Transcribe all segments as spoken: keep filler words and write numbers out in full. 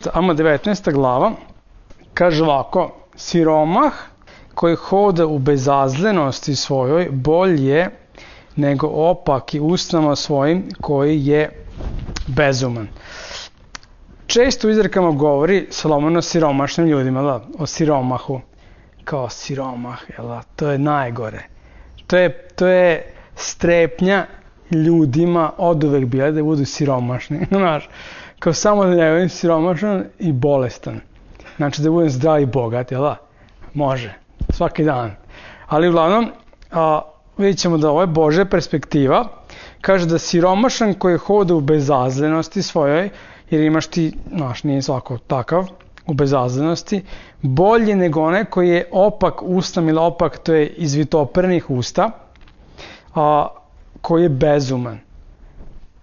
devetnaesta, ama devetnaesta glava, kaže ovako, siromah koji hoda u bezazlenosti svojoj bolje nego opaki usnama svojim koji je bezuman. Često u izrekama govori Solomon o siromašnim ljudima, da, o siromahu, kao siromah, jel da, to je najgore. To je, to je strepnja ljudima od uvek bila da budu siromašni, znaš, kao samo da ne budem siromašan i bolestan. Znači da budem zdrav i bogat, jel da? Može, svaki dan. Ali uglavnom, a, vidjet ćemo da ovo je Božja perspektiva. Kaže da siromašan koji hoda u bezazlenosti svojoj, jer imaš ti, znaš, nije svako takav, u bezazlenosti, bolje nego onaj koji je opak ustam ili opak, to je izvitopernih usta, a, koji je bezuman.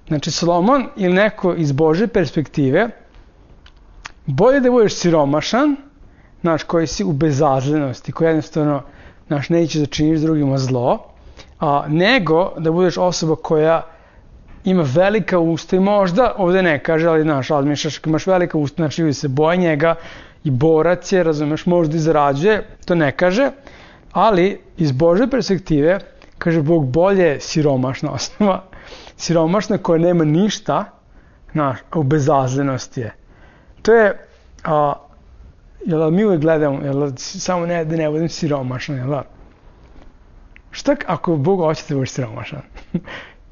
Znači, Solomon ili neko iz Božje perspektive, bolje da budeš siromašan, znaš, koji si u bezazlenosti, koji jednostavno, znaš, neće da činiš drugima zlo, a, nego da budeš osoba koja ima velika usta i možda, ovde ne kaže, ali znaš, razmišljaš, ako imaš velika usta, znači ljudi se boje njega i borac je, razumeš, možda i zarađuje, to ne kaže, ali iz Božje perspektive, kaže Bog, bolje siromašna osoba, siromašna koja nema ništa, znaš, u bezazlenosti je. To je, a, jel mi uvek gledamo, jel samo ne, da ne budem siromašan, jel da? Šta ako Bog hoće da budeš siromašan?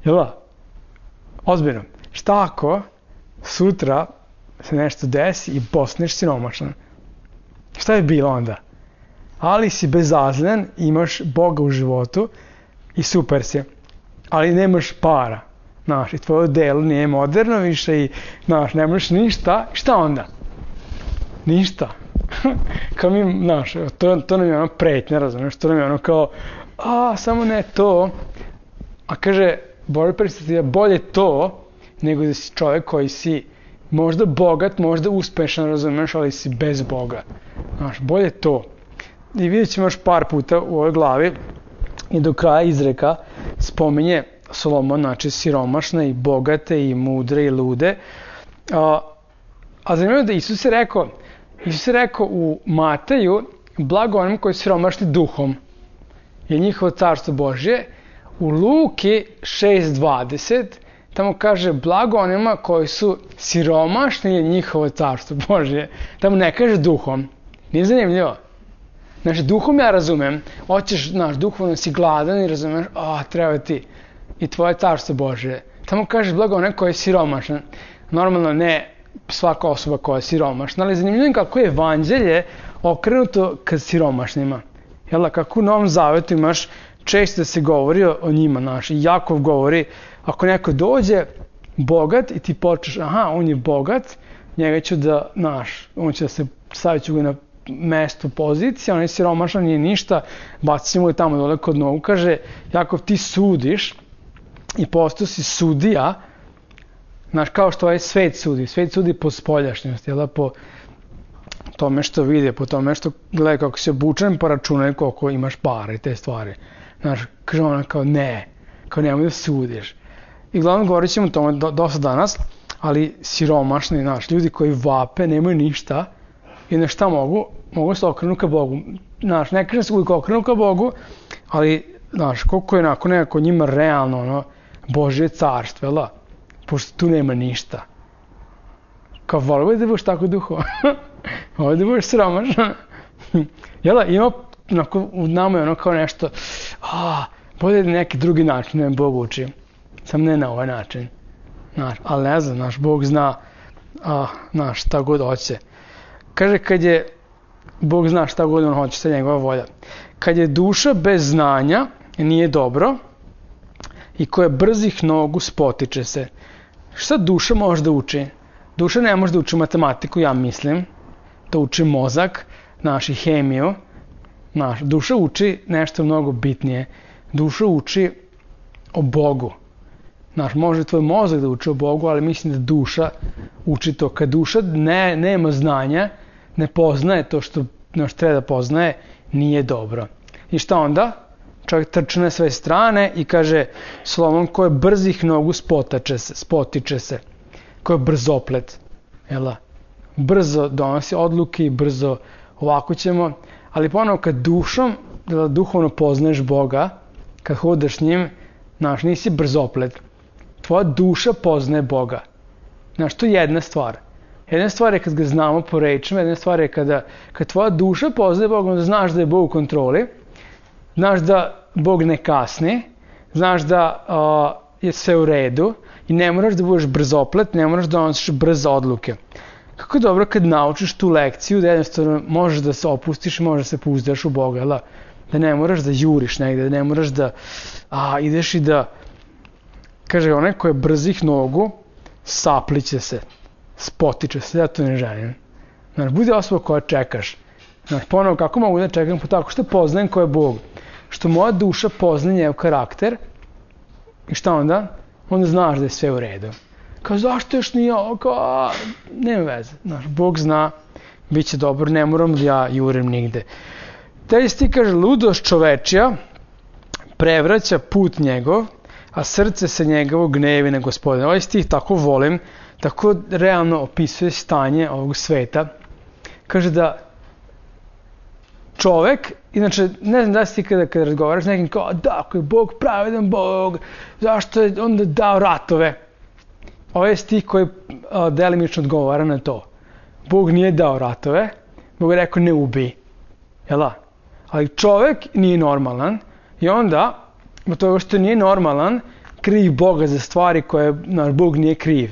Jel da? Ozbiljno. Šta ako sutra se nešto desi i postaneš siromašan? Šta je bilo onda? Ali si bezazlen, imaš Boga u životu i super si. Ali nemaš para. Znaš, i tvoje delo nije moderno više i, znaš, nemaš ništa. Šta onda? Ništa. Kao mi, znaš, to, to nam je ono pretnja, razumiješ, to nam je ono kao, a, samo ne to. A kaže, Božja perspektiva, bolje to, nego da si čovjek koji si možda bogat, možda uspešan, razumiješ, ali si bez Boga. Znaš, bolje to. I vidjet ćemo još par puta u ovoj glavi i do kraja izreka spominje Solomon, znači siromašne i bogate i mudre i lude. A, a zanimljivo je da Isus je rekao, Isus je rekao u Mateju, blago onim koji su siromašni duhom, je njihovo carstvo Božje. U Luki šest dvadeset tamo kaže blago onima koji su siromašni je njihovo carstvo Božje. Tamo ne kaže duhom. Nije zanimljivo. Znači, duhom ja razumem. Hoćeš, znaš, duhovno si gladan i razumeš, a, treba ti i tvoje carstvo Božje. Tamo kaže blago onaj koji je siromašan. Normalno ne svaka osoba koja je siromašna, ali zanimljivo je kako je evanđelje okrenuto ka siromašnima. Jel, kako u Novom Zavetu imaš često se govori o njima, znaš, i Jakov govori, ako neko dođe bogat i ti počneš, aha, on je bogat, njega ću da, znaš, on će da se, stavit ću ga na mesto pozicije, on je siromašan, nije ništa, bacit ćemo ga tamo dole kod nogu, kaže, Jakov, ti sudiš i postao si sudija, znaš, kao što ovaj svet sudi, svet sudi po spoljašnjosti, jel da, po tome što vide, po tome što gledaj kako si obučen, pa računaj koliko imaš para i te stvari. Znaš, kaže ona kao ne, kao nemoj da sudiš. I glavno govorit ćemo o tome do, dosta danas, ali siromašni, znaš, ljudi koji vape, nemaju ništa i na šta mogu, mogu se okrenuti ka Bogu. Znaš, ne kažem se uvijek okrenu ka Bogu, ali, znaš, koliko je nakon nekako njima realno, ono, Božje carstvo, jel da? Pošto tu nema ništa. Kao, volio da budeš tako duho. Volio da budeš siromašan. Jel da, ima, onako, u nama je ono kao nešto, a, bolje da neki drugi način ne Bog uči. Sam ne na ovaj način. Znaš, ali ne znam, naš Bog zna, a, znaš, šta god hoće. Kaže, kad je, Bog zna šta god on hoće, šta je njegova volja. Kad je duša bez znanja, nije dobro, i koja brzih nogu spotiče se. Šta duša može da uči? Duša ne može da uči matematiku, ja mislim. To uči mozak, naši hemiju. Naš, duša uči nešto mnogo bitnije. Duša uči o Bogu. Znaš, može tvoj mozak da uči o Bogu, ali mislim da duša uči to. Kad duša ne, nema znanja, ne poznaje to što, što treba da poznaje, nije dobro. I šta onda? Čovjek trče na sve strane i kaže Solomon, ko je brzih nogu spotače se, spotiče se. Ko je brzoplet. Jel da? brzo donosi odluke i brzo ovako ćemo, ali ponovo kad dušom, da duhovno poznaješ Boga, kad hodeš s njim, znaš, nisi brzoplet. Tvoja duša poznaje Boga. Znaš, to je jedna stvar. Jedna stvar je kad ga znamo po rečima, jedna stvar je kada, kad tvoja duša poznaje Boga, onda znaš da je Bog u kontroli, znaš da Bog ne kasni, znaš da uh, je sve u redu i ne moraš da budeš brzoplet, ne moraš da donosiš brze odluke. Kako je dobro kad naučiš tu lekciju da jednostavno možeš da se opustiš i možeš da se pouzdaš u Boga, da, da ne moraš da juriš negde, da ne moraš da a, ideš i da, kaže onaj ko je brzih nogu, sapliće se, spotiče se, ja to ne želim. Znaš, budi osoba koja čekaš. Znaš, ponovo, kako mogu da čekam? Pa tako što poznajem ko je Bog. Što moja duša pozna njegov karakter i šta onda? Onda znaš da je sve u redu. Kao, zašto još nije ovo? Kao, nema veze. Znaš, Bog zna, bit će dobro, ne moram da ja jurim nigde. Taj sti kaže, ludost čovečija prevraća put njegov, a srce se njegovo gnevi na Gospodina. Ovaj stih tako volim, tako realno opisuje stanje ovog sveta. Kaže da čovek, inače, ne znam da si ti kada, kada razgovaraš s nekim kao, da, ako je Bog pravedan Bog, zašto je onda dao ratove? Ovo je stih koji a, delimično odgovara na to. Bog nije dao ratove, Bog je rekao ne ubij. Jela? Ali čovek nije normalan i onda, od toga što nije normalan, krivi Boga za stvari koje naš Bog nije kriv.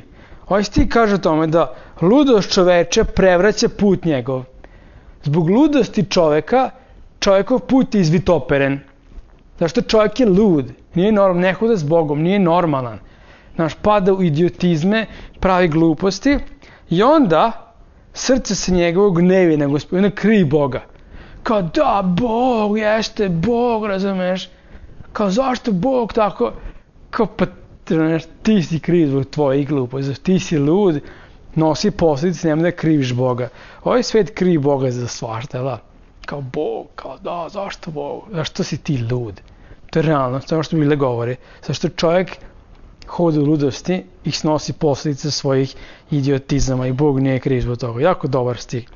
Ovaj stih kaže o tome da ludost čoveče prevraća put njegov. Zbog ludosti čoveka, čovekov put je izvitoperen. Zašto čovjek je lud, nije normalan, ne hoda s Bogom, nije normalan. Naš pada u idiotizme, pravi gluposti i onda srce se njegovog gnevi na Gospodina, krivi Boga. Kao da, Bog, jeste, Bog, razumeš? Kao zašto Bog tako? Kao pa ti si kriv zbog tvojih gluposti, ti si lud, nosi posljedice, nema da kriviš Boga. Ovaj svet krivi Boga za svašta, da? Kao Bog, kao da, zašto Bog? Zašto si ti lud? To je realno, to je što Biblia govori. Zašto čovjek hoda u ludosti i snosi posljedice svojih idiotizama i Bog nije kriv zbog toga. Jako dobar stih.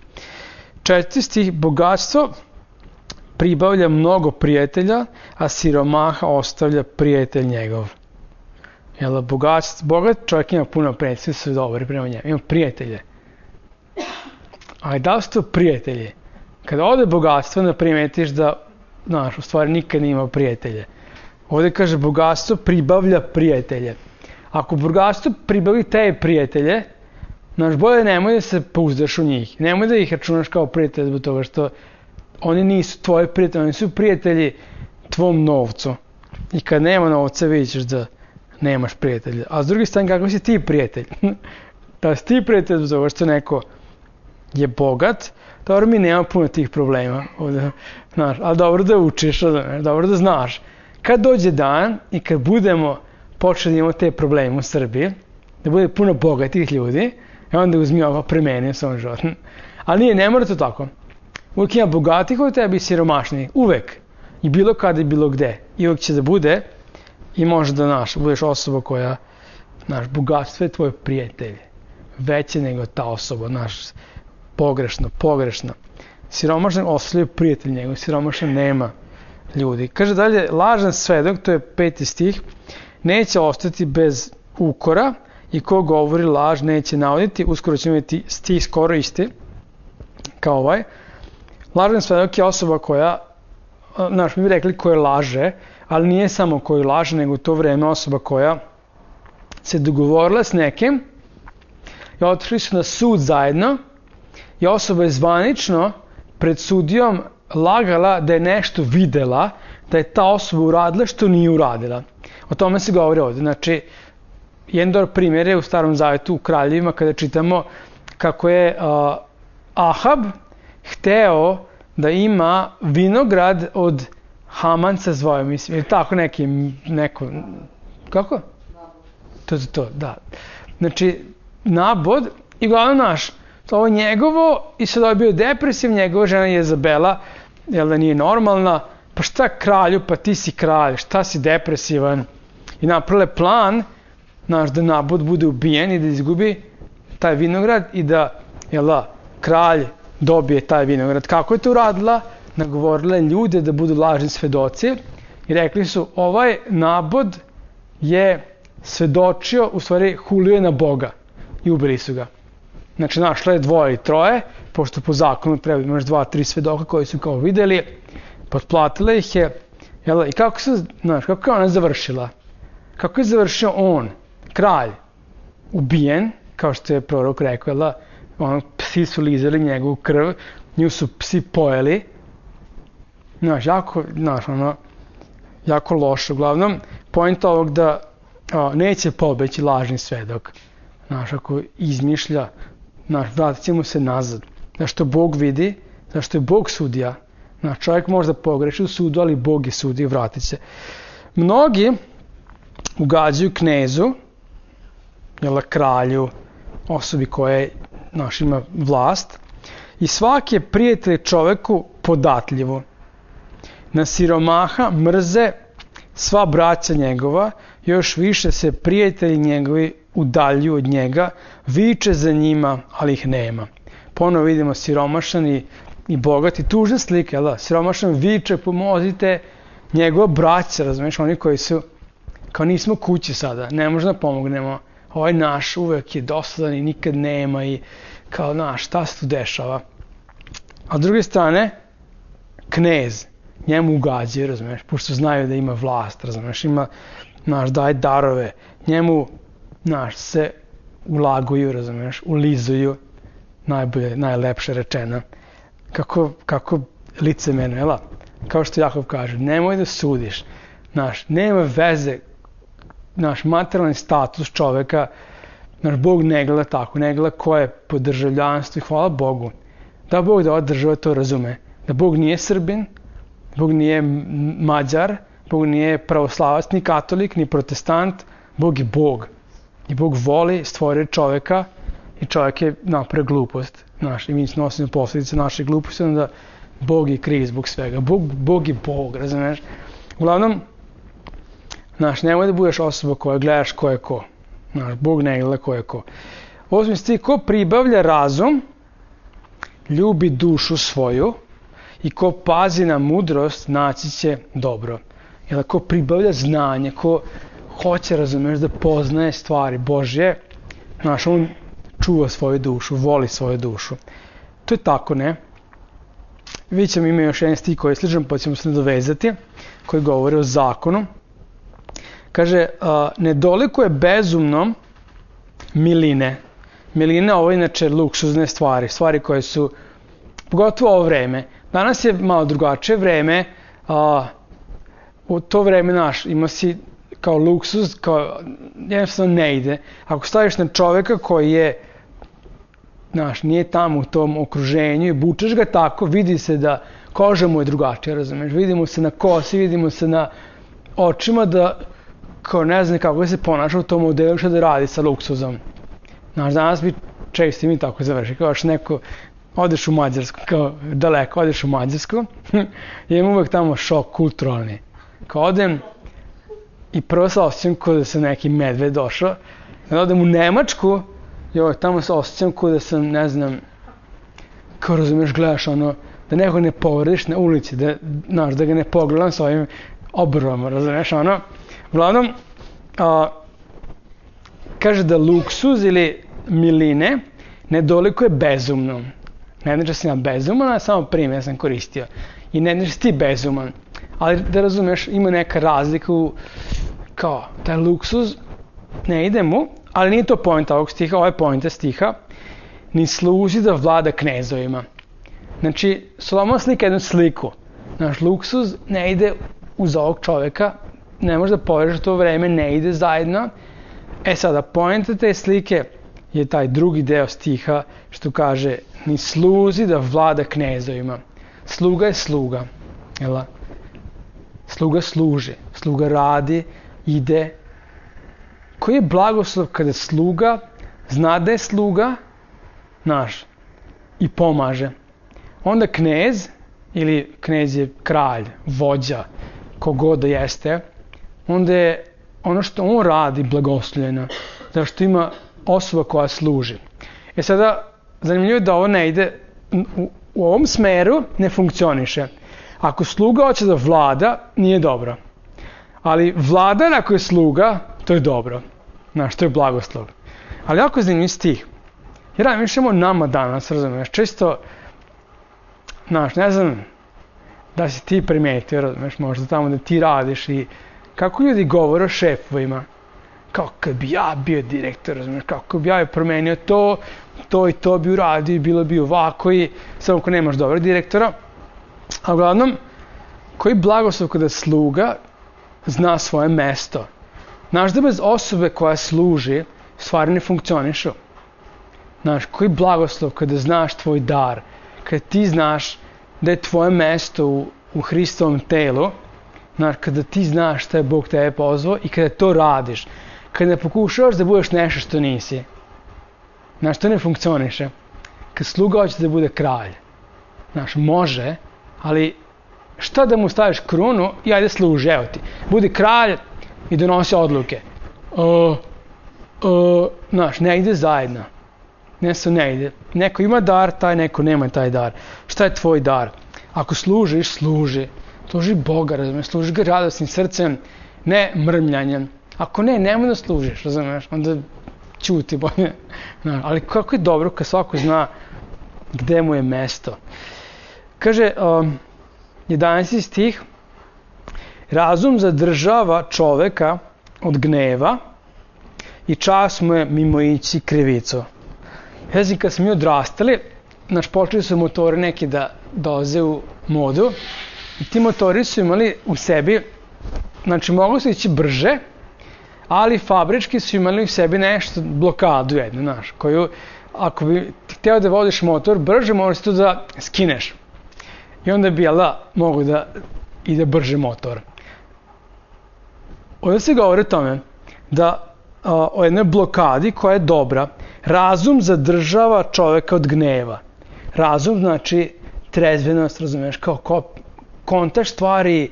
Četvrti stih, bogatstvo pribavlja mnogo prijatelja, a siromaha ostavlja prijatelj njegov. Jel, bogatstvo, bogat čovjek ima puno prijatelja, svi su dobri prema njemu, ima prijatelje. Ali da li su to prijatelji? Kada ode bogatstvo, da primetiš da, znaš, u stvari nikad nije imao prijatelje. Ovdje kaže, bogatstvo pribavlja prijatelje. Ako bogatstvo pribavi te prijatelje, znaš, bolje nemoj da se pouzdaš u njih. Nemoj da ih računaš kao prijatelje zbog toga što oni nisu tvoji prijatelji, oni su prijatelji tvom novcu. I kad nema novca, vidit ćeš da nemaš prijatelja. A s druge strane, kako si ti prijatelj? Da si ti prijatelj zbog toga što neko je bogat, dobro mi nema puno tih problema. Ovdje, znaš, ali dobro da učiš, dobro da znaš. Kad dođe dan i kad budemo počeli imati te probleme u Srbiji, da bude puno bogatih ljudi, i onda uzmi ovo premeni u svom životu. Ali nije, ne mora to tako. Uvijek ima bogatih od tebi i siromašnih. Uvek. I bilo kada i bilo gde. I uvijek će da bude i može da naš, budeš osoba koja, naš, bogatstvo je tvoj prijatelj. Veće nego ta osoba, naš, pogrešno, pogrešno. Siromašan ostavljaju prijatelj njegov, siromašan nema ljudi. Kaže dalje, lažan svedok, to je peti stih, neće ostati bez ukora i ko govori laž neće navoditi. Uskoro ćemo imati stih skoro isti kao ovaj. Lažan svedok je osoba koja, znaš, mi bi rekli koje laže, ali nije samo koji laže, nego u to vreme osoba koja se dogovorila s nekim i otišli su na sud zajedno i osoba je zvanično pred sudijom lagala da je nešto videla, da je ta osoba uradila što nije uradila. O tome se govori ovdje. Znači, jedan dobar primjer je u Starom Zavetu u Kraljevima kada čitamo kako je uh, Ahab hteo da ima vinograd od Hamanca zvoja, mislim, ili tako neki, neko, kako? To je to, da. Znači, Nabod i glavno naš, ovo je njegovo i sad je bio depresiv, njegova žena Jezabela, jel da nije normalna, pa šta kralju, pa ti si kralj, šta si depresivan? I napravile plan, naš, da Nabod bude ubijen i da izgubi taj vinograd i da jel da, kralj dobije taj vinograd. Kako je to uradila? Nagovorila ljude da budu lažni svedoci i rekli su, ovaj nabod je svedočio, u stvari hulio je na Boga i ubili su ga. Znači, našla je dvoje i troje, pošto po zakonu treba imaš dva, tri svedoka koji su kao videli, potplatila ih je, jel, i kako se, znaš, kako je ona završila? Kako je završio on, kralj, ubijen, kao što je prorok rekao, jel, ono, psi su lizali njegovu krv, nju su psi pojeli, znaš, jako, znaš, ono, jako loše. Uglavnom, point ovog da o, neće pobeći lažni svedok, znaš, ako izmišlja, znaš, vratit će mu se nazad. Zašto Bog vidi, zašto je Bog sudija. Znaš, čovjek možda pogreši u sudu, ali Bog je sudija i vratit se. Mnogi ugađaju knezu, jel, kralju, osobi koja, znaš, ima vlast, i svaki je prijatelj čoveku podatljivo. Na siromaha mrze sva braća njegova, još više se prijatelji njegovi udaljuju od njega, viče za njima, ali ih nema. Ponovo vidimo siromašan i, i bogati, tužne slike, da, siromašan viče, pomozite, njegova braća, razumiješ, oni koji su, kao nismo kući sada, ne možemo da pomognemo, ovaj naš uvek je dosadan i nikad nema i kao naš, šta se tu dešava? A s druge strane, knez, njemu ugađaju, razumiješ, pošto znaju da ima vlast, razumiješ, ima, naš, daje darove, njemu, naš, se ulaguju, razumiješ, ulizuju, najbolje, najlepše rečeno, kako, kako licemeno, jel? Kao što Jakov kaže, nemoj da sudiš, naš, nema veze, naš materijalni status čoveka, naš Bog ne gleda tako, ne gleda ko je po državljanstvu i hvala Bogu, da Bog da ova država to razume, da Bog nije Srbin, Bog nije Mađar, Bog nije pravoslavac, ni katolik, ni protestant, Bog je Bog. I Bog voli, stvorio čoveka i čovjek je napravio glupost. Znaš, i mi nosimo posljedice naše gluposti, onda Bog je kriv zbog svega. Bog, Bog je Bog, razumiješ? Uglavnom, znaš, nemoj da budeš osoba koja gledaš ko je ko. Znaš, Bog ne gleda ko je ko. Osmi stih, ko pribavlja razum, ljubi dušu svoju, i ko pazi na mudrost, naći će dobro. Jer ko pribavlja znanje, ko hoće, razumiješ, da poznaje stvari Božje, znaš, on čuva svoju dušu, voli svoju dušu. To je tako, ne? Vidjet ćemo, ima još jedan stih koji je sličan, pa ćemo se nadovezati, koji govori o zakonu. Kaže, a, nedoliko je bezumno miline. Miline, ovo je inače luksuzne stvari, stvari koje su, pogotovo ovo vreme. Danas je malo drugačije vreme, a, u to vreme naš ima si kao luksuz, kao jednostavno ne ide. Ako staviš na čoveka koji je, znaš, nije tamo u tom okruženju i bučeš ga tako, vidi se da koža mu je drugačija, razumiješ, vidimo se na kosi, vidimo se na očima da, kao ne znam kako se ponaša u tom modelu, što da radi sa luksuzom. Znaš, danas bi često mi tako završi, kao što neko, odeš u Mađarsku, kao daleko, odeš u Mađarsku, i imam uvek tamo šok kulturalni. Kao odem i prvo se osjećam kao da sam neki medved došao, kada odem u Nemačku, joj, tamo se osjećam kao da sam, ne znam, kao razumiješ, gledaš ono, da nekog ne povrediš na ulici, da, znaš, da ga ne pogledam s ovim obrvom, razumiješ, ono. Uglavnom, a, kaže da luksuz ili miline nedoliko je bezumno. Ne znači da sam ja bezuman, a samo primjer sam koristio. I ne znači da si ti bezuman. Ali da razumiješ, ima neka razlika u, kao, taj luksuz ne ide mu, ali nije to pojenta ovog stiha, ovo je pojenta stiha, ni služi da vlada knezovima. Znači, Solomon slika jednu sliku. Naš luksuz ne ide uz ovog čovjeka, ne može da poveriš to vreme, ne ide zajedno. E sada, pojenta te slike je taj drugi deo stiha što kaže ni sluzi da vlada knezovima. Sluga je sluga. Jel? Sluga služi, sluga radi, ide. Koji je blagoslov kada sluga zna da je sluga naš i pomaže. Onda knez, ili knez je kralj, vođa, kogod da jeste, onda je ono što on radi blagoslovljeno, zato što ima osoba koja služi. E sada, zanimljivo da ovo ne ide, u, u ovom smeru ne funkcioniše. Ako sluga hoće da vlada, nije dobro. Ali vladar ako je sluga, to je dobro. Znaš, to je blagoslov. Ali ako je zanimljiv stih, jer razmišljamo o nama danas, razumiješ, često, znaš, ne znam da si ti primetio, razumiješ, možda tamo da ti radiš i kako ljudi govore o šefovima, kao kad bi ja bio direktor, razumiješ, kako bi ja promenio to, to i to bi uradio, bilo bi ovako i samo ako nemaš dobrog direktora. A uglavnom, koji blagoslov kada sluga zna svoje mesto. Znaš da bez osobe koja služi, stvari ne funkcionišu. Znaš, koji blagoslov kada znaš tvoj dar, kada ti znaš da je tvoje mesto u, u Hristovom telu, znaš, kada ti znaš šta je Bog tebe pozvao i kada to radiš, kada ne pokušavaš da budeš nešto što nisi. Znaš, to ne funkcioniše. Kad sluga hoće da bude kralj, znaš, može, ali šta da mu staviš krunu i ajde služi, evo ti. Budi kralj i donosi odluke. O, o, znaš, ne ide zajedno. Nešto ne ide. Neko ima dar, taj neko nema taj dar. Šta je tvoj dar? Ako služiš, služi. Služi Boga, razumiješ, služi ga radosnim srcem, ne mrmljanjem. Ako ne, nemoj da služiš, razumiješ, onda ćuti bolje. Znaš, ali kako je dobro kad svako zna gde mu je mesto. Kaže, um, jedanaesti stih, razum zadržava čoveka od gneva i čas mu je mimoići krivicu. Znači, kad smo mi odrastali, znači, počeli su motori neki da dolaze u modu i ti motori su imali u sebi, znači, mogli su ići brže, ali fabrički su imali u sebi nešto, blokadu jednu, znaš, koju, ako bi ti hteo da vodiš motor brže, možeš to da skineš. I onda bi, jel da, mogu da ide brže motor. Ovdje se govori o tome da a, o jednoj blokadi koja je dobra. Razum zadržava čoveka od gneva. Razum znači trezvenost, razumiješ, kao ko, kontaš stvari,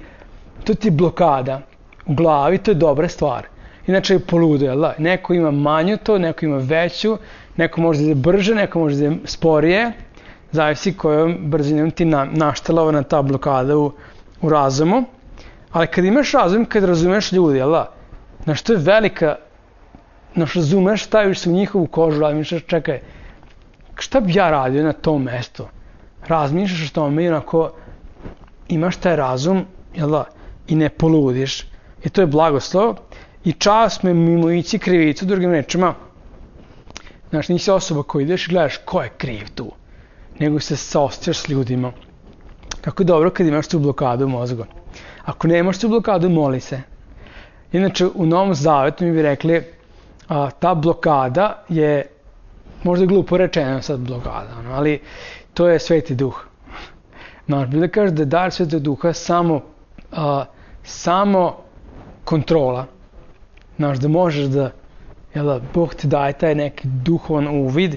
to ti je blokada. U glavi to je dobra stvar. Inače je poludo, jel da? Neko ima manju to, neko ima veću, neko može da ide brže, neko može da ide sporije. Zavisi kojom brzinom ti na, naštelovana ta blokada u, u razumu. Ali kad imaš razum, kad razumeš ljudi, jel da? Znaš, to je velika, znaš, razumeš, staviš se u njihovu kožu, razmišljaš, čekaj, šta bi ja radio na tom mestu? Razmišljaš o tome i onako imaš taj razum, jel da? I ne poludiš. I to je blagoslov. I čas me mimoići krivicu, drugim rečima. Znaš, nisi osoba koja ideš i gledaš ko je kriv tu. Nego se saosećaš s ljudima. Kako je dobro kad imaš tu blokadu u mozgu. Ako nemaš tu blokadu, moli se. Inače, u Novom Zavetu mi bi rekli, a, ta blokada je, možda glupo rečeno sad blokada, no, ali to je Sveti Duh. Znaš, bi da kažeš da je dar Svetog Duha samo, a, samo kontrola. Znaš, da možeš da, jel da, Bog ti daje taj neki duhovan uvid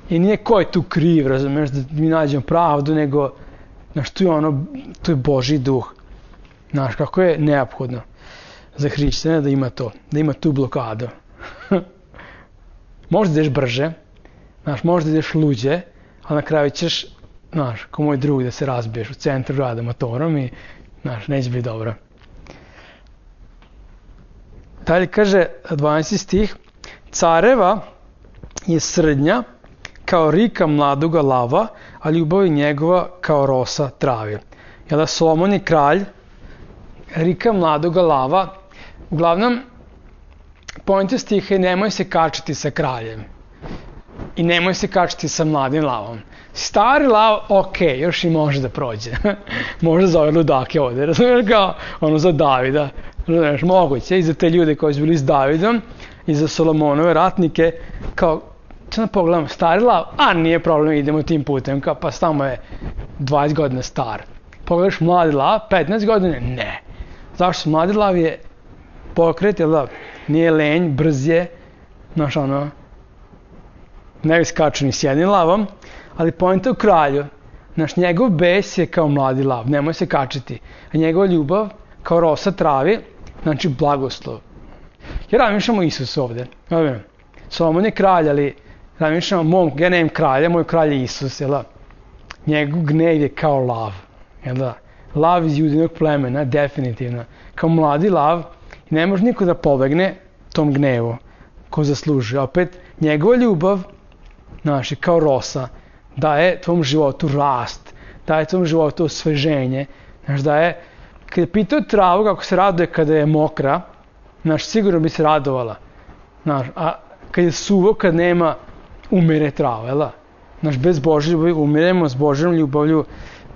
i nije ko je tu kriv, razumiješ, da mi nađemo pravdu, nego, znaš, tu je ono, tu je Božji duh. Znaš, kako je neophodno za hrišćana da ima to, da ima tu blokadu. Možda ideš brže, znaš, možda ideš luđe, ali na kraju ćeš, znaš, kao moj drug da se razbiješ u centru grada motorom i, znaš, neće biti dobro. Dalje kaže dvanaesti stih, careva je srednja kao rika mladoga lava, a ljubav je njegova kao rosa travi. Jel da, Solomon je kralj, rika mladoga lava. Uglavnom, poenta stiha je nemoj se kačiti sa kraljem i nemoj se kačiti sa mladim lavom. Stari lav, ok, još i može da prođe. Može za ove ludake ovdje, razumiješ, kao ono za Davida. Razumiješ, moguće i za te ljude koji su bili s Davidom i za Solomonove ratnike, kao, sad da pogledam, stari lav, a nije problem, idemo tim putem, kao, pa tamo je dvadeset godina star. Pogledaš mladi lav, petnaest godina, ne. Zašto? Mladi lav je pokret, jel da, nije lenj, brz je, znaš ono, ne bi skaču ni s jednim lavom, ali poenta u kralju, znaš, njegov bes je kao mladi lav, nemoj se kačiti, a njegova ljubav kao rosa travi, znači blagoslov. Ja razmišljam o Isusu ovdje, Solomon je kralj, ali razmišljam o mom, ja nemam kralja, moj kralj je Isus, jel da? Njegov gnev je kao lav, jel da? Lav iz judinog plemena, definitivno. Kao mladi lav, i ne može niko da pobegne tom gnevu ko zasluži. Opet, njegova ljubav, znaš, kao rosa, daje tvom životu rast, daje tvom životu osveženje, znaš, daje, kada je pitao travu kako se raduje kada je mokra, znaš, sigurno bi se radovala, znaš, a kad je suvo, kad nema, umire trava, jel da? Znaš, bez Božje ljubavi umiremo, s Božjom ljubavlju,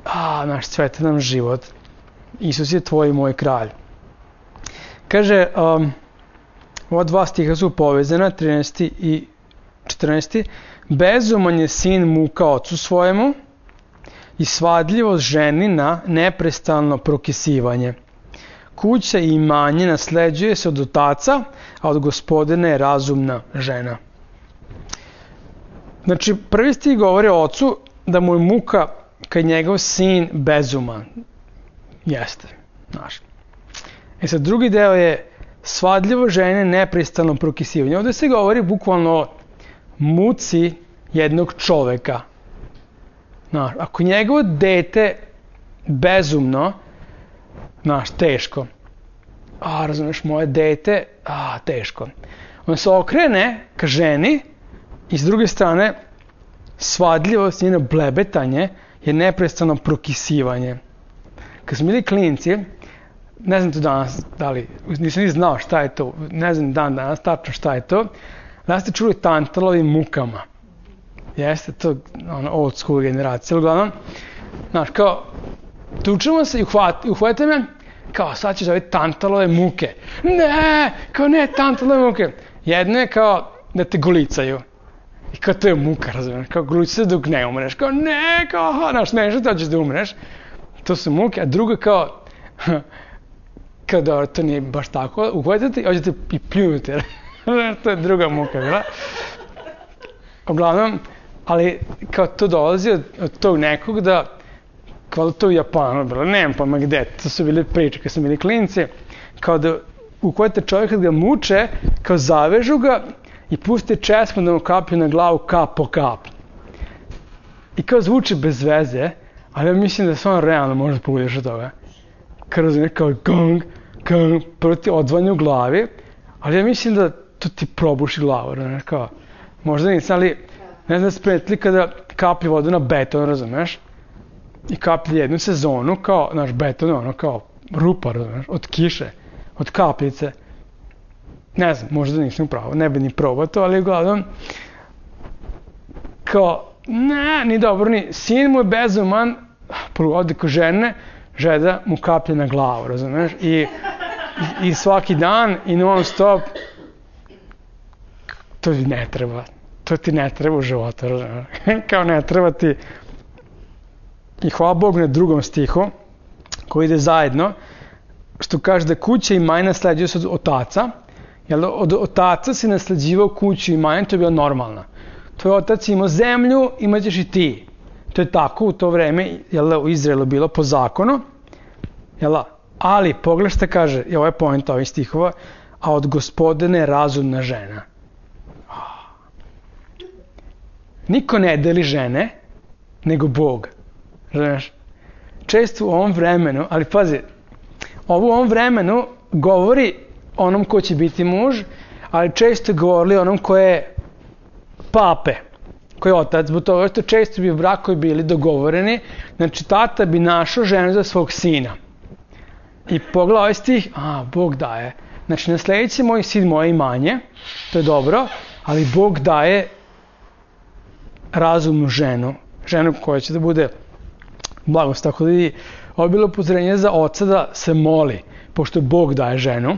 a, naš cveta nam život. Isus je tvoj i moj kralj. Kaže, um, ova dva stiha su povezana, trinaesti i četrnaesti. Bezuman je sin muka ocu svojemu i svadljivost ženi na neprestalno prokisivanje. Kuća i imanje nasleđuje se od otaca, a od Gospodina je razumna žena. Znači, prvi stih govori o ocu da mu je muka kad njegov sin bezuman. Jeste, znaš. E sad, drugi deo je svadljivo žene neprestalno prokisivanje. Ovdje se govori bukvalno o muci jednog čoveka. Znaš, ako njegovo dete bezumno, znaš, teško. A, razumiješ, moje dete, a, teško. On se okrene ka ženi i s druge strane, svadljivost, njeno blebetanje je neprestano prokisivanje. Kad smo bili klinci, ne znam to danas, da li, nisam ni znao šta je to, ne znam dan danas tačno šta je to, da ste čuli tantalovi mukama. Jeste to ono, old school generacija, uglavnom, znaš, kao, tučemo se i uhvate, uhvate me, kao, sad ćeš dobiti tantalove muke. Ne, kao ne, tantalove muke. Jedno je kao da te golicaju. I kao to je muka, razumiješ, kao golicaju dok ne umreš. Kao ne, kao, aha, znaš, smiješ da ćeš da umreš. To su muke, a drugo kao, kao dobro, to nije baš tako, uhvatite i hoćete i pljunuti. To je druga muka, bila. Uglavnom, ali kao to dolazi od, od tog nekog da, kao to u Japanu bilo, nemam pa ma gde, to su bile priče kad smo bili klinci, kao da uhvatite čovjeka da ga muče, kao zavežu ga i puste česmu da mu kaplju na glavu kap po kap. I kao zvuči bez veze, ali ja mislim da se on realno može pobudiš od toga. Kao razumije, kao gong, gong, prvo ti odvanje u glavi, ali ja mislim da to ti probuši glavu, razumiješ, kao, možda nisam, ali ne znam spretli kada kaplju vodu na beton, razumiješ, i kaplji jednu sezonu, kao, naš beton, ono, kao rupa, razumiješ, od kiše, od kapljice. Ne znam, možda nisam upravo, ne bi ni probao to, ali uglavnom, kao, ne, ni dobro, ni, sin mu je bezuman, ode ko žene, žeda mu kaplje na glavu, razumiješ, i, i, i svaki dan, i non stop, to ti ne treba, to ti ne treba u životu, razumiješ, kao ne treba ti. I hvala Bogu na drugom stihu, koji ide zajedno, što kaže da kuća i imanje nasleđuju se od otaca, jer od otaca si nasleđivao kuću i imanje, to je bilo normalno. Tvoj otac imao zemlju, imat ćeš i ti. To je tako u to vreme, jel, u Izraelu bilo po zakonu, jel, ali pogledaj šta kaže, i ovo je point ovih stihova, a od Gospodina je razumna žena. Niko ne deli žene, nego Bog. Znaš, često u ovom vremenu, ali pazi, ovo u ovom vremenu govori onom ko će biti muž, ali često govorili onom ko je pape, ko je otac, zbog toga što često bi brakovi bili dogovoreni, znači tata bi našao ženu za svog sina. I pogledaj ovaj stih, a, Bog daje. Znači, nasledit će moj sin moje imanje, to je dobro, ali Bog daje razumnu ženu, ženu koja će da bude blagost. Tako da je ovo bilo upozorenje za oca da se moli, pošto Bog daje ženu,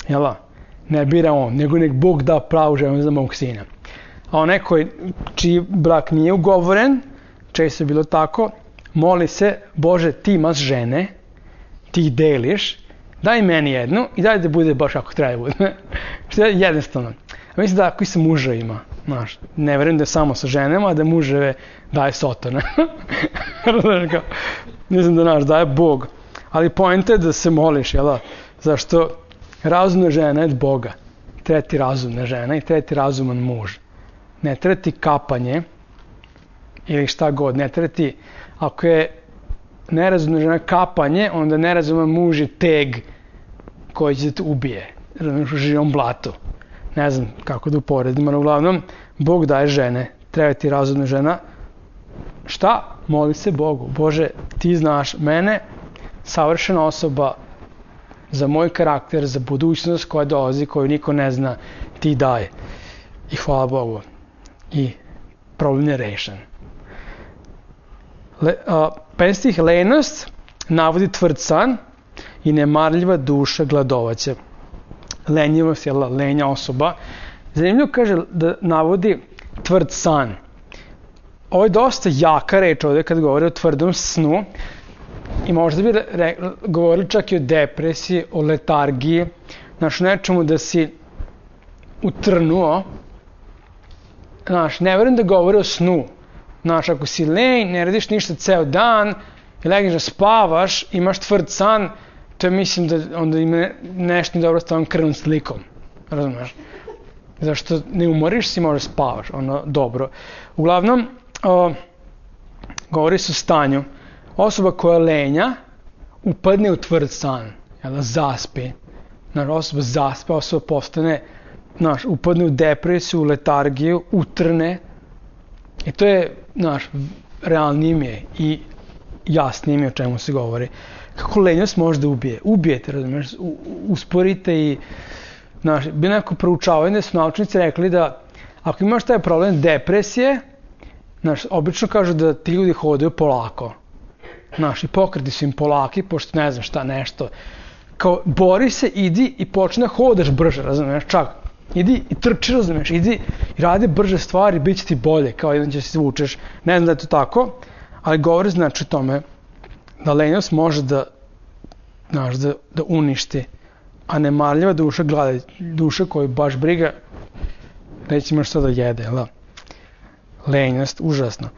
jel, ne bira on, nego nek Bog da pravu ženu za mog sina. A onaj koji, čiji brak nije ugovoren, često je bilo tako, moli se, Bože, ti imaš žene, ti ih deliš, daj meni jednu i daj da bude baš kako treba bude. Što je jednostavno. A mislim da ako i sa muževima, znaš, ne verujem da je samo sa ženama, a da muževe daje sotone. Ne znam da naš daje Bog. Ali poenta je da se moliš, jel da? Zašto razumna žena je od Boga. Treba ti razumna žena i treba ti razuman muž. ne treba ti kapanje ili šta god, ne treba ti, ako je nerazumna žena kapanje, onda nerazuman muž je teg koji će da te ubije, razumiješ, u živom blatu. Ne znam kako da uporedim, ali uglavnom, Bog daje žene, treba ti razumna žena. Šta? Moli se Bogu. Bože, ti znaš mene, savršena osoba za moj karakter, za budućnost koja dolazi, koju niko ne zna, ti daje. I hvala Bogu. I problem je rešen. Le, a, petnaesti stih, lenost navodi tvrd san i nemarljiva duša gladovaće. Lenjivost je lenja osoba. Zanimljivo kaže da navodi tvrd san. Ovo je dosta jaka reč ovdje kad govori o tvrdom snu i možda bi re, govorili čak i o depresiji, o letargiji, znaš, nečemu da si utrnuo. Znaš, ne verujem da govori o snu. Znaš, ako si lenj, ne radiš ništa ceo dan i legneš da spavaš, imaš tvrd san, to je, mislim da onda ima nešto dobro s tvojom krvnom slikom. Razumeš? Zašto ne umoriš se i možda spavaš, ono, dobro. Uglavnom, o, govori se o stanju. Osoba koja lenja upadne u tvrd san, jel, zaspi. Znaš, osoba zaspe, osoba postane, znaš, upadne u depresiju, u letargiju, utrne. I to je, znaš, realnije mi je i jasnije mi je o čemu se govori. Kako lenjost može da ubije? Ubijete, razumiješ, usporite i, znaš, bilo neko proučavanje da su naučnici rekli da ako imaš taj problem depresije, znaš, obično kažu da ti ljudi hodaju polako. Znaš, i pokreti su im polaki, pošto ne znam šta, nešto. Kao, bori se, idi i počne hodaš brže, razumiješ, čak. Idi i trči, razumiješ, idi i radi brže stvari, bit će ti bolje, kao jedan će se zvučeš. Ne znam da je to tako, ali govori znači o tome da lenjost može da, znaš, da, da uništi, a nemarljiva duša glada, duša koju baš briga, neće imaš što da jede, jel da? Lenjost, užasno.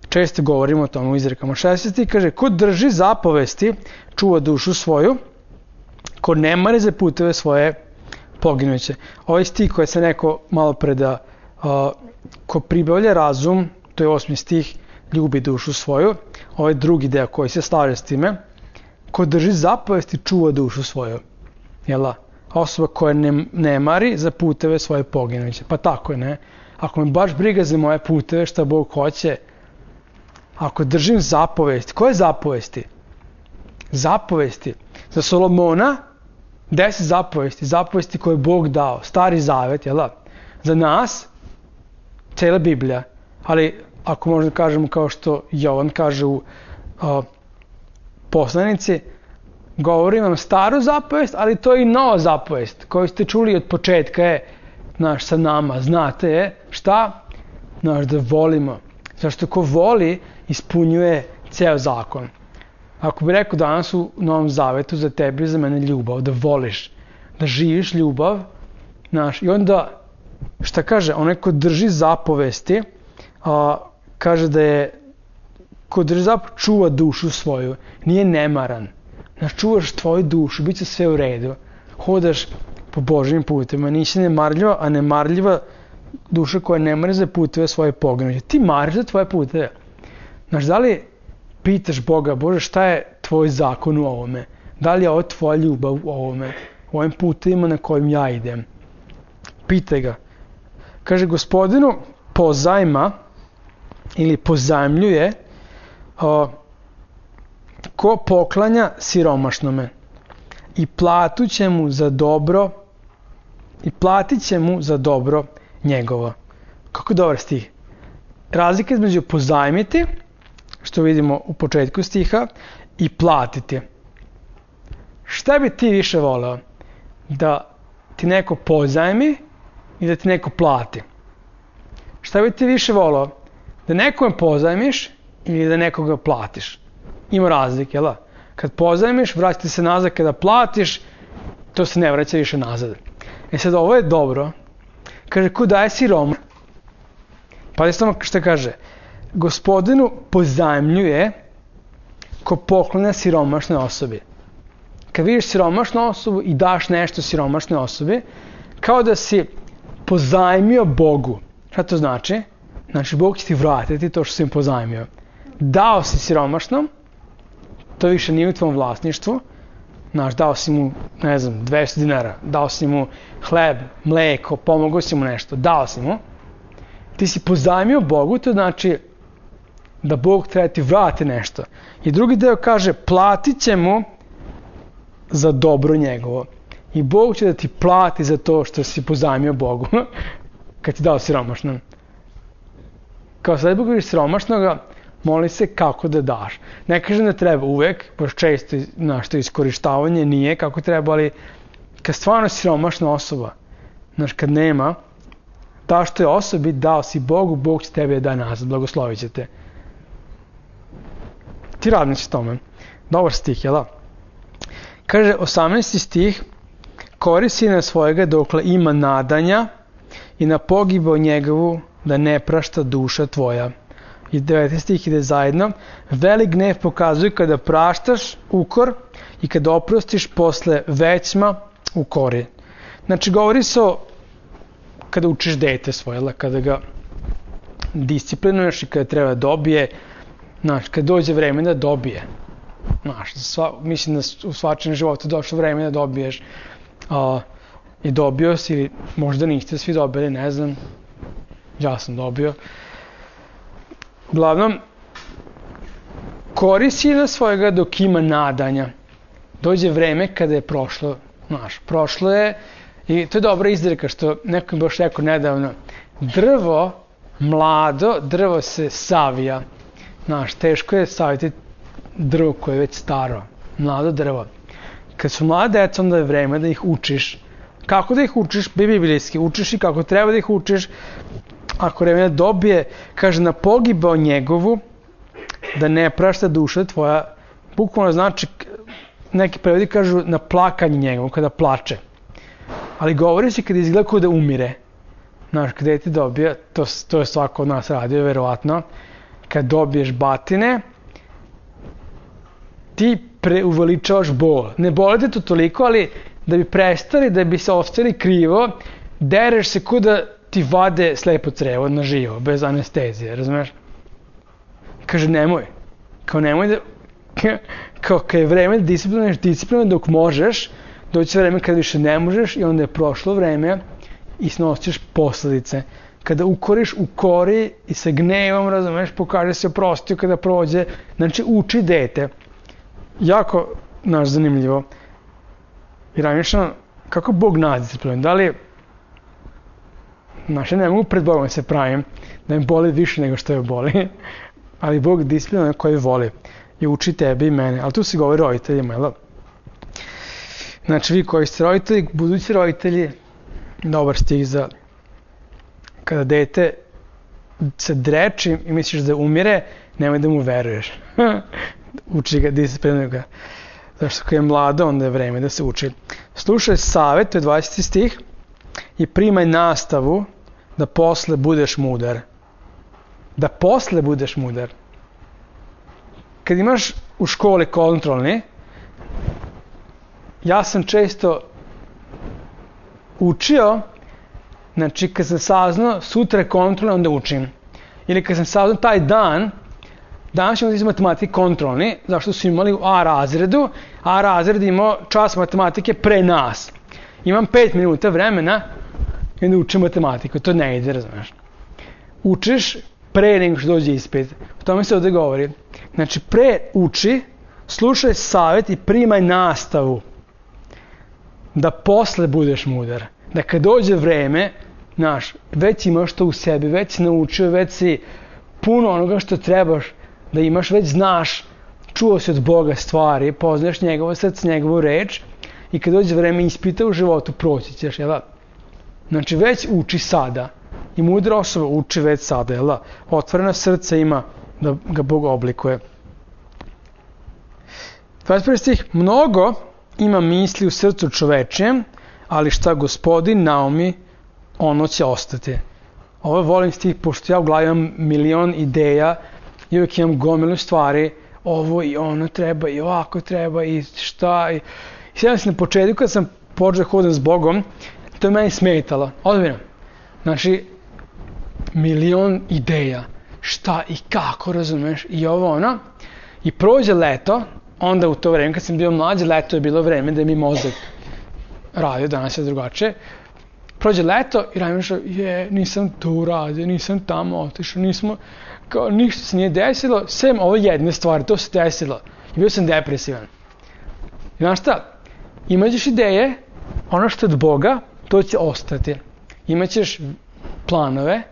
Često govorimo o tome u izrekama. šesnaesti kaže, ko drži zapovesti, čuva dušu svoju, ko ne mari za puteve svoje, poginuće. Ovaj stih koji se neko malo pre da uh, ko pribavlja razum, to je osmi stih, ljubi dušu svoju. Ovaj drugi deo koji se slaže s time, ko drži zapovesti, čuva dušu svoju. Jela? Osoba koja ne, ne mari za puteve svoje, poginuće. Pa tako je, ne? Ako me baš briga za moje puteve, šta Bog hoće, ako držim zapovesti, koje zapovesti? Zapovesti. Za Solomona, deset zapovesti, zapovesti koje je Bog dao, stari zavet, jel da? Za nas, cijela Biblija, ali ako možda kažemo kao što Jovan kaže u uh, poslanici, govori vam staru zapovest, ali to je i nova zapovest, koju ste čuli od početka je, znaš, sa nama, znate je, šta? Znaš, da volimo. Zašto ko voli, ispunjuje ceo zakon. Ako bi rekao danas u Novom Zavetu za tebe i za mene ljubav, da voliš, da živiš ljubav, znaš, i onda, šta kaže, onaj ko drži zapovesti, a, kaže da je, ko drži zapovesti, čuva dušu svoju, nije nemaran. Znaš, čuvaš tvoju dušu, bit će sve u redu, hodaš po Božjim putima, nisi nemarljiva, a nemarljiva duša koja ne mari za puteve svoje poginuće. Ti mariš za tvoje puteve. Znaš, da li pitaš Boga, Bože, šta je tvoj zakon u ovome? Da li je ovo tvoja ljubav u ovome? U ovim putevima na kojim ja idem? Pitaj ga. Kaže, Gospodinu pozajma ili pozajmljuje o, ko poklanja siromašnome i platu će mu za dobro i platit će mu za dobro njegovo. Kako dobar stih. Razlika između pozajmiti, što vidimo u početku stiha, i platiti. Šta bi ti više voleo? Da ti neko pozajmi i da ti neko plati? Šta bi ti više voleo? Da nekome pozajmiš ili da nekoga platiš? Ima razlike, jel da? Kad pozajmiš, vraćate se nazad, kada platiš, to se ne vraća više nazad. E sad, ovo je dobro. Kaže, ko daje siroma? Pa samo što kaže, Gospodinu pozajmljuje ko poklanja siromašnoj osobi. Kad vidiš siromašnu osobu i daš nešto siromašnoj osobi, kao da si pozajmio Bogu. Šta to znači? Znači, Bog će ti vratiti to što si im pozajmio. Dao si siromašnom, to više nije u tvom vlasništvu. Znaš, dao si mu, ne znam, dvesta dinara, dao si mu hleb, mleko, pomogao si mu nešto, dao si mu. Ti si pozajmio Bogu, to znači da Bog treba ti vrati nešto. I drugi deo kaže, platit će mu za dobro njegovo. I Bog će da ti plati za to što si pozajmio Bogu, kad ti dao siromašnom. Kao sad Bog vidiš siromašnoga, moli se kako da daš. Ne kažem da treba uvek, baš često nešto iskorištavanje nije kako treba, ali kad stvarno siromašna osoba, znaš, kad nema, daš toj osobi, dao si Bogu, Bog će tebe da nazad, blagoslovit će te. Ti radnici tome. Dobar stih, jel da? Kaže, osamnaesti stih, kori sina svojega dokle ima nadanja i na pogibao njegovu da ne prašta duša tvoja. I deveti stih ide zajedno. Velik gnev pokazuje kada praštaš ukor i kada oprostiš posle većma ukori. Znači, govori se o kada učiš dete svoje, kada ga disciplinuješ i kada treba dobije, znaš, kada dođe vreme da dobije. Znaš, sva, mislim da u svačem životu došlo vreme da dobiješ a, i dobio si, ili možda niste svi dobili, ne znam, ja sam dobio. Uglavnom, kori sina svojega dok ima nadanja. Dođe vreme kada je prošlo, znaš, prošlo je, i to je dobra izreka što neko mi baš rekao nedavno, drvo mlado, drvo se savija. Znaš, teško je saviti drvo koje je već staro, mlado drvo. Kad su mlade deca, onda je vreme da ih učiš. Kako da ih učiš? Biblijski, učiš i kako treba da ih učiš. Ako vreme dobije, kaže, na pogibao njegovu, da ne prašta duša tvoja, bukvalno znači, neki prevodi kažu na plakanje njegovu, kada plače. Ali govori se kada izgleda kao da umire. Znaš, kada ti dobije, to, to je svako od nas radio, verovatno, kad dobiješ batine, ti preuveličavaš bol. Ne boli te to toliko, ali da bi prestali, da bi se ostali krivo, dereš se kao da ti vade slepo crevo na živo, bez anestezije, razumeš? Kaže, nemoj. Kao nemoj da... Kao kad je vreme da disciplinuješ disciplinuješ dok možeš, doći vreme kad više ne možeš i onda je prošlo vreme i snosiš posledice. Kada ukoriš, ukori i sa gnevom, razumeš, pokaže se oprostio kada prođe. Znači, uči dete. Jako, naš, zanimljivo. I razmišljam, kako Bog nas disciplinuje? Da li, znaš, ja ne mogu pred Bogom se pravim, da im boli više nego što je boli, ali Bog disciplinuje koji voli i uči tebe i mene. Ali tu se govori roditeljima, jel? Znači, vi koji ste roditelji, budući roditelji, dobar stih za kada dete se dreči i misliš da umire, nemoj da mu veruješ. Uči ga, disciplinuje ga. Zašto kad je mlado, onda je vreme da se uči. Slušaj savet, to je dvadeseti stih, i primaj nastavu da posle budeš mudar. Da posle budeš mudar. Kad imaš u školi kontrolni, ja sam često učio, znači kad sam saznao sutra je kontrolni, onda učim. Ili kad sam saznao taj dan, danas ćemo iz matematike kontrolni, zašto su imali u A razredu, A razred imao čas matematike pre nas. Imam pet minuta vremena i onda učim matematiku, to ne ide, razumiješ. Učiš pre nego što dođe ispit. O tome se ovdje govori. Znači, pre uči, slušaj savjet i primaj nastavu. Da posle budeš mudar. Da kad dođe vreme, znaš, već imaš to u sebi, već si naučio, već si puno onoga što trebaš da imaš, već znaš, čuo si od Boga stvari, poznaješ njegovo srce, njegovu reč i kad dođe vreme ispita u životu, proći ćeš, jel da? Znači, već uči sada. I mudra osoba uči već sada, jel da? Otvoreno srce ima da ga Bog oblikuje. dvadeset prvi stih, mnogo ima misli u srcu čovečijem, ali šta Gospodin naumi, ono će ostati. Ovo volim stih, pošto ja u glavi imam milion ideja i uvijek imam gomilu stvari, ovo i ono treba i ovako treba i šta. I, I sjećam se na početku kad sam počeo hodati s Bogom, to je meni smetalo, odmjerno. Znači, milion ideja, šta i kako, razumeš, i ovo ono, i prođe leto, onda u to vreme, kad sam bio mlađi, leto je bilo vreme da mi mozak radio, danas je drugačije, prođe leto i radim što, je, nisam to uradio, nisam tamo otišao, nismo, kao, ništa se nije desilo, sem ove jedne stvari, to se desilo, i bio sam depresivan. I znaš šta, imaćeš ideje, ono što je od Boga, to će ostati. Imaćeš planove,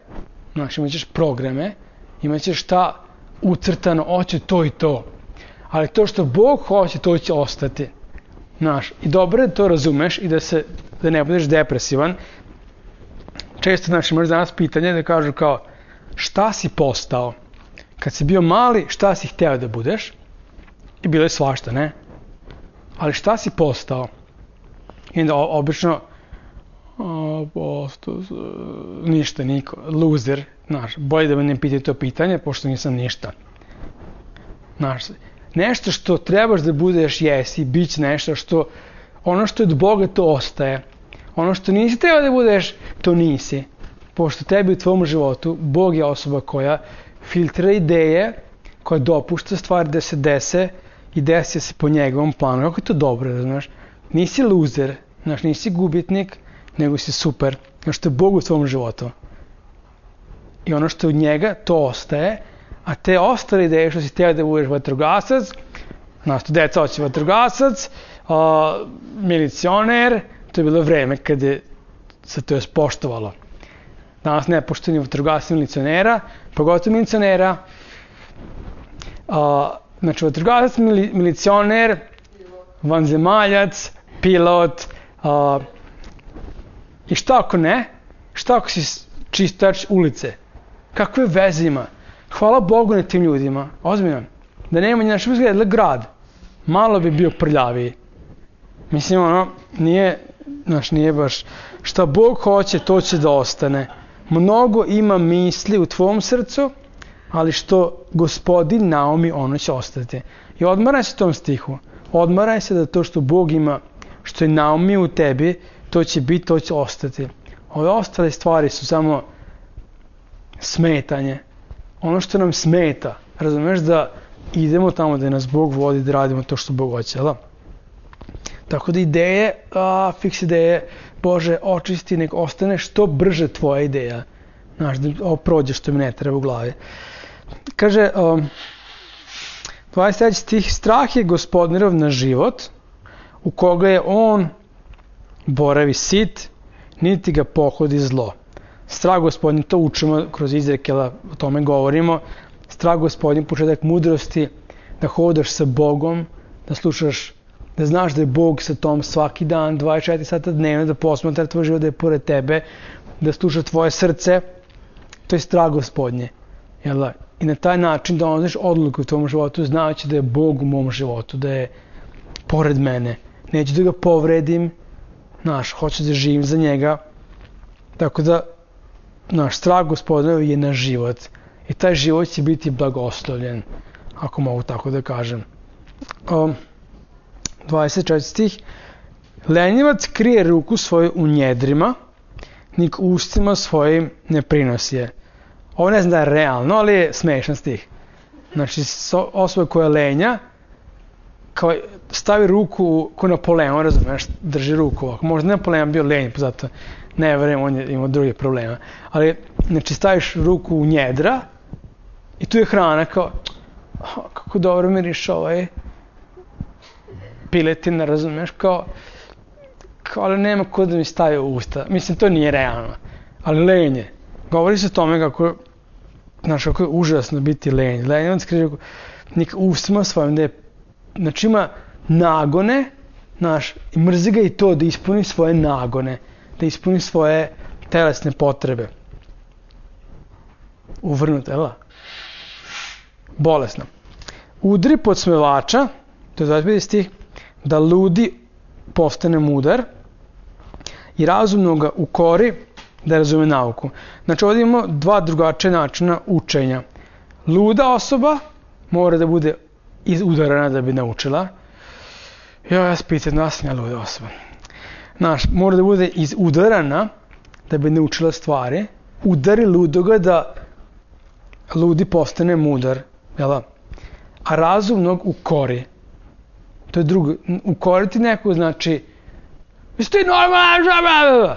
znaš, imaćeš programe, imaćeš šta ucrtano, hoće to i to. Ali to što Bog hoće, to će ostati. Znaš, i dobro je da to razumeš i da, se, da ne budeš depresivan. Često, znači, možeš danas pitanje da kažu kao, šta si postao? Kad si bio mali, šta si hteo da budeš? I bilo je svašta, ne? Ali šta si postao? I onda obično, o, postao, ništa, niko, loser, znaš, bolje da me ne pitaju to pitanje, pošto nisam ništa. Znaš, nešto što trebaš da budeš, jesi, bit će nešto što, ono što je od Boga, to ostaje. Ono što nisi trebao da budeš, to nisi. Pošto tebi u tvom životu, Bog je osoba koja filtrira ideje, koja dopušta stvari da se dese i desi se po njegovom planu. Kako je to dobro, znaš? Nisi loser, znaš, nisi gubitnik, nego si super. Znaš, što je Bog u tvom životu. I ono što je od njega, to ostaje. A te ostale ideje što si teo da budeš vatrogasac, znaš, to deca hoće vatrogasac, a, milicioner, to je bilo vreme kada je se to je spoštovalo. Danas ne poštovanje vatrogasca milicionera, pogotovo milicionera. A, znači, vatrogasac, mili, milicioner, vanzemaljac, pilot, a, i šta ako ne? Šta ako si čistač ulice? Kakve veze ima? Hvala Bogu na tim ljudima, ozbiljno. Da nema naš izgleda grad, malo bi bio prljaviji. Mislim, ono, nije, znaš, nije baš, šta Bog hoće, to će da ostane. Mnogo ima misli u tvom srcu, ali što Gospodin naumi, ono će ostati. I odmaraj se tom stihu. Odmaraj se da to što Bog ima, što je naumi u tebi, to će biti, to će ostati. Ove ostale stvari su samo smetanje. Ono što nam smeta, razumeš, da idemo tamo da nas Bog vodi, da radimo to što Bog hoće, da? Tako da ideje, a, fiks ideje, Bože, očisti, nek ostane što brže tvoja ideja. Znaš, da ovo prođe što mi ne treba u glavi. Kaže, um, dvadeset treći stih, strah je Gospodinov na život, u koga je on boravi sit, niti ga pohodi zlo. Strah Gospodin, to učimo kroz Izrekela, o tome govorimo. Strah Gospodin, početak mudrosti, da hodaš sa Bogom, da slušaš, da znaš da je Bog sa tom svaki dan, dvadeset četiri sata dnevno, da posmatra tvoj život, da je pored tebe, da sluša tvoje srce. To je strah Gospodnje. Jel? I na taj način da donosiš odluku u tvom životu, znajući da je Bog u mom životu, da je pored mene. Neću da ga povredim, znaš, hoću da živim za njega. Tako da, naš strah Gospodinov je na život. I taj život će biti blagoslovljen, ako mogu tako da kažem. Um, dvadeset četvrti stih. Lenjivac krije ruku svoju u njedrima, nik ustima svojim ne prinosi je. Ovo ne znam da je realno, ali je smešan stih. Znači, osoba koja je lenja, kao stavi ruku ko Napoleon, razumiješ, drži ruku ovako. Možda Napoleon bio lenj, zato ne verujem, on je imao druge problema. Ali, znači, staviš ruku u njedra i tu je hrana kao, oh, kako dobro miriš ovaj piletina, razumiješ, kao, kao, ali nema ko da mi stavi u usta. Mislim, to nije realno, ali lenje. Govori se o tome kako, znaš, kako je užasno biti lenj. Lenj, on skriže, nek ustima svojim, da je, znači ima nagone, znaš, i mrzi ga i to da ispuni svoje nagone, da ispuni svoje telesne potrebe. Uvrnuto, jel da? Bolesno. Udri podsmevača, to je dvadeset peti stih, da ludi postane mudar i razumno ga ukori da razume nauku. Znači ovdje imamo dva drugačije načina učenja. Luda osoba mora da bude izudarana da bi naučila. Ja, ja spitam, da sam ja luda osoba. Znaš, mora da bude izudarana da bi naučila stvari, udari ludoga da ludi postane mudar, jel? A razumnog ukori. To je drugo. Ukoriti neko znači jesi ti normalan?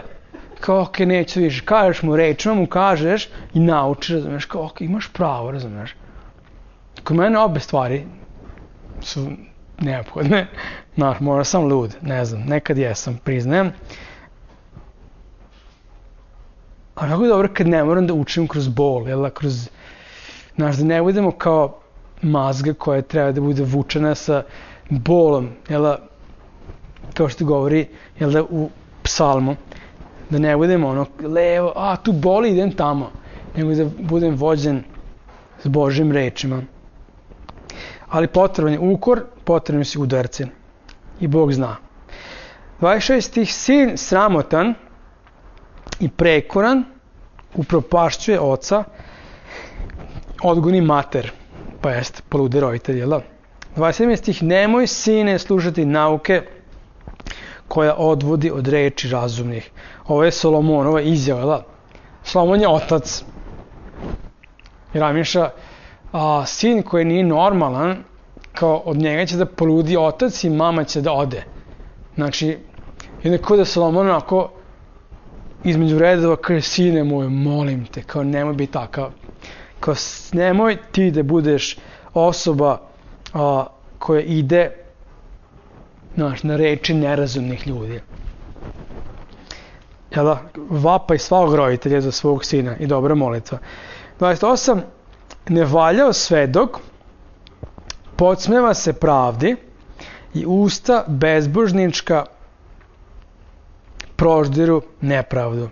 Kao, ok, neću više. Kažeš mu rečima, mu kažeš i nauči, razumeš, kao, ok, imaš pravo, razumeš. Kod mene obe stvari su neophodne. Znaš, možda sam lud, ne znam, nekad jesam, priznajem. A kako je dobro kad ne moram da učim kroz bol, jel, kroz, znaš, da ne budemo kao mazga koja treba da bude vučena sa bolom, jel, kao što govori, jel da, u psalmu, da ne budemo ono, levo, a tu boli, idem tamo, nego da budem vođen s Božjim rečima. Ali potreban je ukor, potrebni su udarci. I Bog zna. dvadeset šest stih, sin sramotan i prekoran upropašćuje oca, odgoni mater, pa jest polude roditelj, jel da? dvadeset sedmi stih, nemoj sine slušati nauke koja odvodi od reči razumnih. Ovo je Solomonova izjava, jel da? Solomon je otac. I Ramiša, a sin koji nije normalan, kao od njega će da poludi otac i mama će da ode. Znači, jednako da Solomon onako između redova kaže, sine moj, molim te, kao nemoj biti takav. Kao nemoj ti da budeš osoba a, koja ide, znaš, na reči nerazumnih ljudi. Jel da? Vapaj svakog roditelja za svog sina i dobra molitva. dvadeset osam. Ne valjao svedok, podsmeva se pravdi i usta bezbožnička proždiru nepravdu.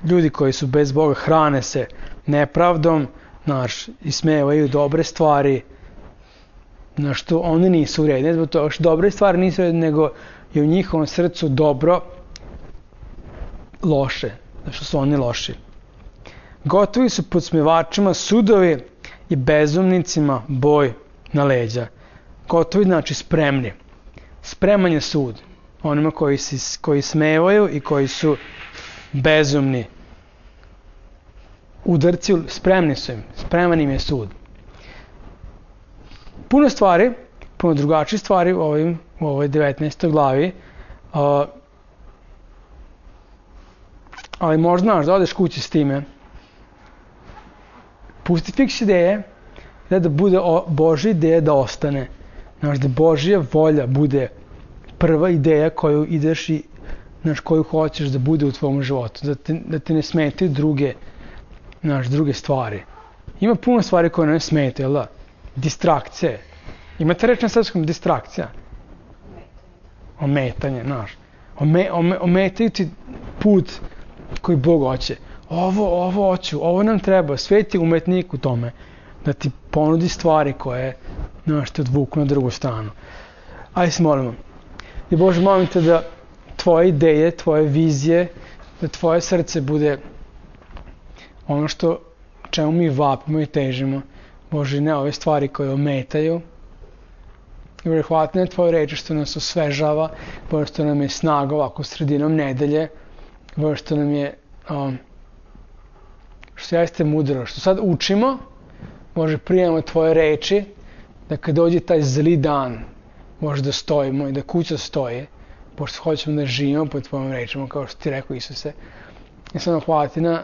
Ljudi koji su bez Boga hrane se nepravdom, znaš, ismevaju dobre stvari, na što oni nisu u redu. Ne zbog toga što dobre stvari nisu u redu, nego je u njihovom srcu dobro loše, zato što su oni loši. Gotovi su podsmevačima sudovi i bezumnicima boj na leđa. Gotovi znači spremni. Spreman je sud onima koji, si, koji smevaju i koji su bezumni. Udarci spremni su im. Spreman im je sud. Puno stvari, puno drugačije stvari u, ovim, u ovoj devetnaestoj glavi. Uh, ali možda znaš da odeš kući s time. Pusti fiks ideje, da, da bude Božja ideja da ostane. Znaš, da Božja volja bude prva ideja koju ideš i znaš, koju hoćeš da bude u tvom životu. Da te, da te ne smetaju druge, znaš, druge stvari. Ima puno stvari koje ne smetaju, jel da? Distrakcije. Imate reč na srpskom distrakcija? Ometanje, znaš. Ome, ome, ometaju ti put koji Bog hoće. Ovo, ovo hoću, ovo nam treba, svet je umetnik u tome, da ti ponudi stvari koje, znaš, te odvuku na drugu stranu. Ajde se molimo. I Bože, molim te da tvoje ideje, tvoje vizije, da tvoje srce bude ono što, čemu mi vapimo i težimo. Bože, ne ove stvari koje ometaju. I Bože, hvala ti na tvoje reči što nas osvežava, Bože, što nam je snaga ovako sredinom nedelje, Bože, što nam je um, što jeste mudro, što sad učimo, Bože, prijemamo tvoje reči, da kad dođe taj zli dan, Bože, da stojimo i da kuća stoji, pošto hoćemo da živimo po tvojim rečima, kao što ti rekao Isuse. I samo hvala ti na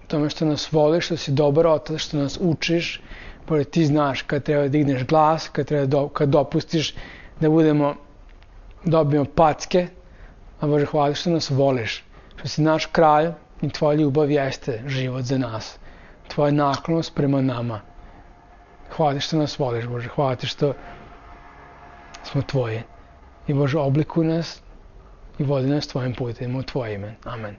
tome što nas voliš, što si dobar otac, što nas učiš, Bože, ti znaš kad treba da digneš glas, kad, treba do, kad dopustiš da budemo, dobijemo packe, a Bože, hvala ti što nas voliš, što si naš kralj, i tvoja ljubav jeste život za nas. Tvoja naklonost prema nama. Hvala ti što nas voliš, Bože. Hvala ti što smo tvoji. I Bože, oblikuj nas i vodi nas tvojim putem u tvoje ime. Amen.